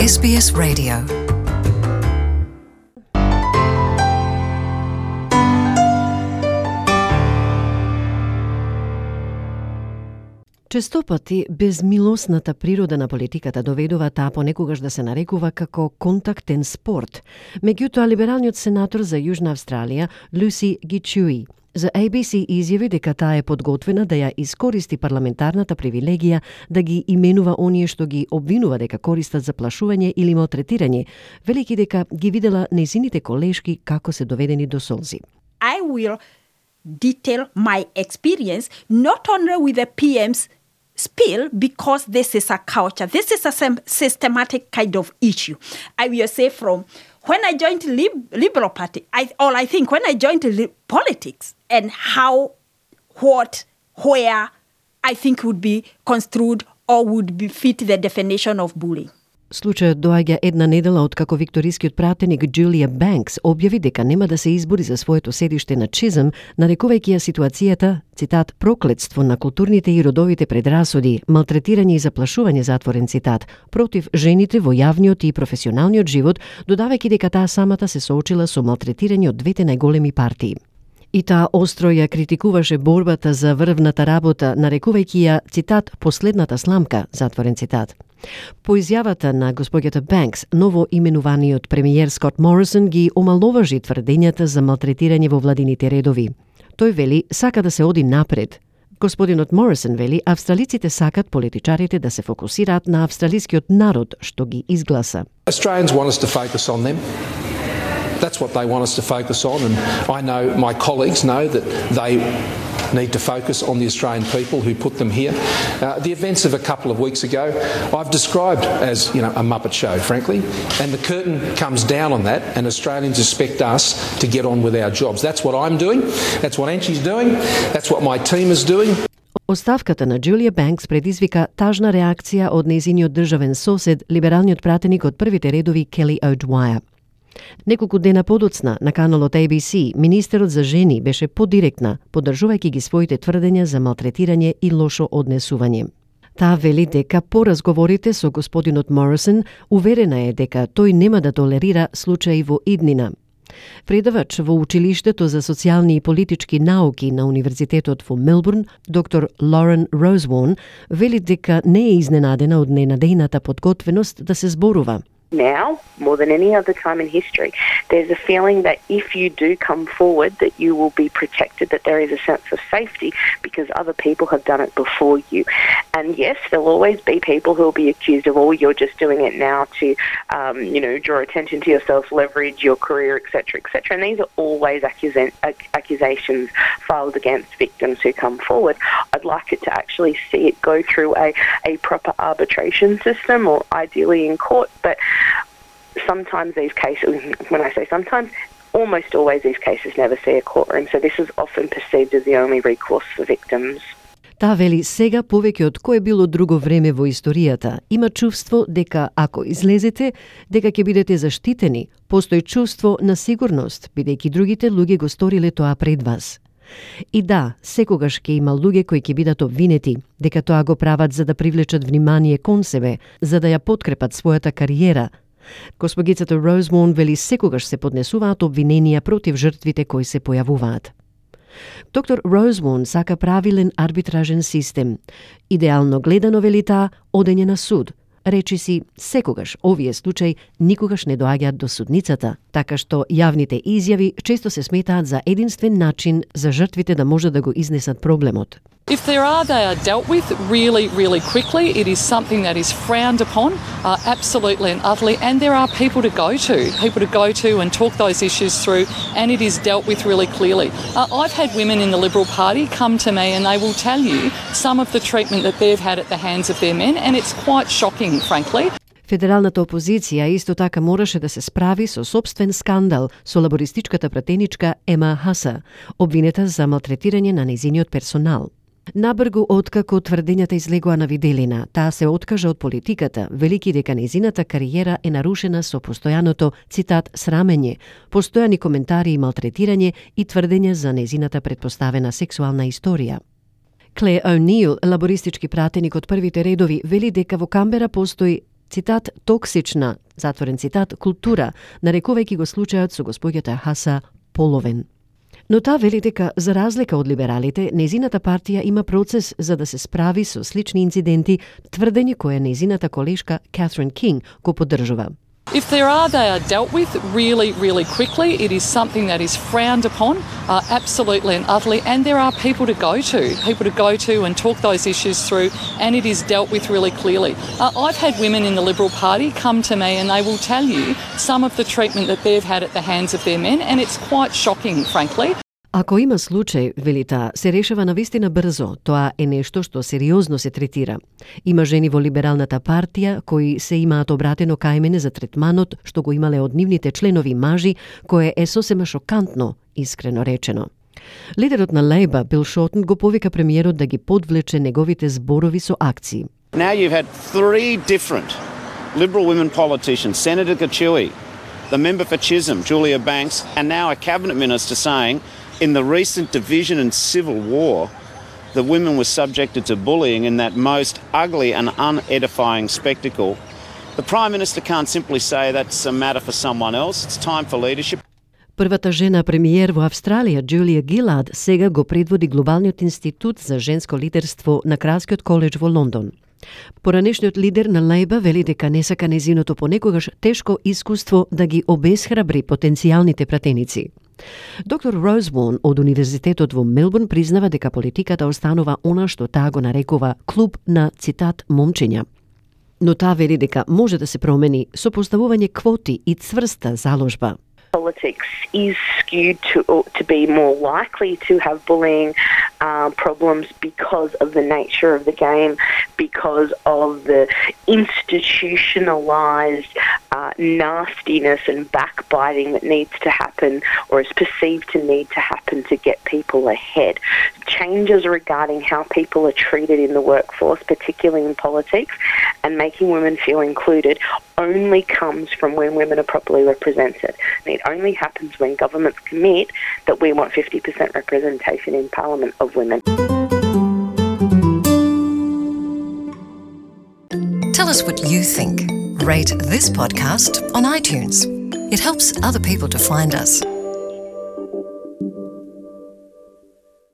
SBS Radio. Често пати безмилосната природа на политиката доведува таа понекогаш да се нарекува како контактен спорт. Меѓутоа, либералниот сенатор за Јужна Австралија, Lucy Gichuhi, за ABC изјави дека таа е подготвена да ја искористи парламентарната привилегија да ги именува оние што ги обвинува дека користат заплашување или малтретирање, велики дека ги видела нејзините колешки како се доведени до солзи. I will detail my experience not only with the PM's spill, because this is a culture. This is a systematic kind of issue. I will say from when I joined Liberal Party, I think when I joined politics and how, what, where I think would be construed or would be fit the definition of bullying. Случајот доаѓа една недела откако викторискиот пратеник Джулија Бенкс објави дека нема да се избори за своето седиште на Чизъм, нарекувајќи ја ситуацијата, цитат, проклетство на културните и родовите предрасуди, малтретирање и заплашување, затворен цитат, против жените во јавниот и професионалниот живот, додавајќи дека таа самата се соочила со малтретирање од двете најголеми партии. И таа остро ја критикуваше борбата за врвната работа, нарекувајќи ја, цитат, последната сламка, затворен цитат. По изјавата на господјата Бенкс, ново именуваниот премиер Скот Морисон ги омаловажи тврдењата за малтретирање во владините редови. Тој вели сака да се оди напред. Господинот Морисон вели австралиците сакат политичарите да се фокусираат на австралискиот народ што ги изгласа. Australians want us to focus on them. That's what they want us to focus on, and I know my colleagues know that they need to focus on the Australian people who put them here. The events of a couple of weeks ago I've described as, a Muppet show, frankly, and the curtain comes down on that, and Australians expect us to get on with our jobs. That's what I'm doing, that's what Antje's doing, that's what my team is doing. Оставката на Джулија Бенкс предизвика тажна реакција од нејзиниот државен сосед, либералниот пратеник од првите редови Келли O'Dwyer. Неколку дена подоцна на каналот ABC, министерот за жени беше подиректна, поддржувајќи ги своите тврдења за малтретирање и лошо однесување. Таа вели дека по разговорите со господинот Морисон, уверена е дека тој нема да толерира случаи во иднина. Предавач во училиштето за социјални и политички науки на Универзитетот во Мелбурн, доктор Лорен Роузвон, вели дека не е изненадена од ненадејната подготвеност да се зборува. Now, more than any other time in history, there's a feeling that if you do come forward, that you will be protected, that there is a sense of safety because other people have done it before you. And yes, there'll always be people who will be accused of, you're just doing it now to, draw attention to yourself, leverage your career, etc., etc. And these are always accusations filed against victims who come forward. I'd like it to actually see it go through a proper arbitration system, or ideally in court, but sometimes these cases, when I say sometimes, almost always these cases never see a courtroom, so this is often perceived as the only recourse for victims. Таа вели сега повеќе од кое било друго време во историјата има чувство дека ако излезете, дека ќе бидете заштитени, постои чувство на сигурност, бидејќи другите луѓе го сториле тоа пред вас. И да, секогаш ќе има луѓе кои ќе бидат обвинети, дека тоа го прават за да привлечат внимание кон себе, за да ја подкрепат својата кариера. Госпогицата Роузвон вели секогаш се поднесуваат обвиненија против жртвите кои се појавуваат. Доктор Роузвон сака правилен арбитражен систем. Идеално гледано, вели таа, одење на суд. Речиси, секогаш овие случаи никогаш не доаѓаат до судницата, така што јавните изјави често се сметаат за единствен начин за жртвите да може да го изнесат проблемот. If there are, they are dealt with really, really quickly. It is something that is frowned upon, absolutely and utterly, and there are people to go to and talk those issues through, and it is dealt with really clearly. I've had women in the Liberal Party come to me and they will tell you some of the treatment that they've had at the hands of their men, and it's quite shocking, frankly. Федералната опозиција исто така мораше да се справи со собствен скандал со лабористичката пратеничка Ема Хаса, обвинета за малтретирање на нејзиниот персонал. Набргу откако тврдењата излегоа на виделина, таа се откажа од политиката, велики дека нејзината кариера е нарушена со постојаното, цитат, срамење, постојани коментари и малтретирање и тврдења за нејзината претпоставена сексуална историја. Клеј О'Нил, лабористички пратеник од првите редови, вели дека во Камбера постои цитат, токсична, затворен цитат, култура, нарекувајќи го случајот со госпоѓата Хаса половен. Но таа вели дека, за разлика од либералите, нејзината партија има процес за да се справи со слични инциденти, тврдење кое нејзината колешка Catherine King го поддржува. If there are, they are dealt with really, really quickly. It is something that is frowned upon, absolutely and utterly, and there are people to go to and talk those issues through, and it is dealt with really clearly. I've had women in the Liberal Party come to me and they will tell you some of the treatment that they've had at the hands of their men, and it's quite shocking, frankly. Ако има случај, вели таа, се решава навистина брзо, тоа е нешто што сериозно се третира. Има жени во либералната партија кои се имаат обратено кај мене за третманот што го имале од нивните членови мажи, кое е сосема шокантно, искрено речено. Лидерот на Лейба, Бил Шортон, го повика премиерот да ги подвлече неговите зборови со акции. Now you've had 3 different Liberal women politicians, Senator Gachui, the member for Chisholm, Julia Banks, and now a cabinet minister saying in the recent division and civil war, the women were subjected to bullying in that most ugly and unedifying spectacle. The Prime Minister can't simply say that's a matter for someone else. It's time for leadership. Првата жена премиер во Австралија, Джулија Гилад, сега го предводи Глобалниот институт за женско лидерство на Кралскиот коледж во Лондон. Поранешниот лидер на Лейба вели дека не сака незиното понекогаш тешко искуство да ги обесхрабри потенцијалните пратеници. Доктор Роузвон од Универзитетот во Мелбурн признава дека политиката останува она што таа го нарекува клуб на, цитат, момчиња. Но таа вели дека може да се промени со поставување квоти и цврста заложба. Politics is skewed to be more likely to have bullying problems because of the nature of the game, because of the institutionalized nastiness and backbiting that needs to happen or is perceived to need to happen to get people ahead. Changes regarding how people are treated in the workforce, particularly in politics, and making women feel included only comes from when women are properly represented. And it only happens when governments commit that we want 50% representation in Parliament of women. Tell us what you think. Rate this podcast on iTunes. It helps other people to find us.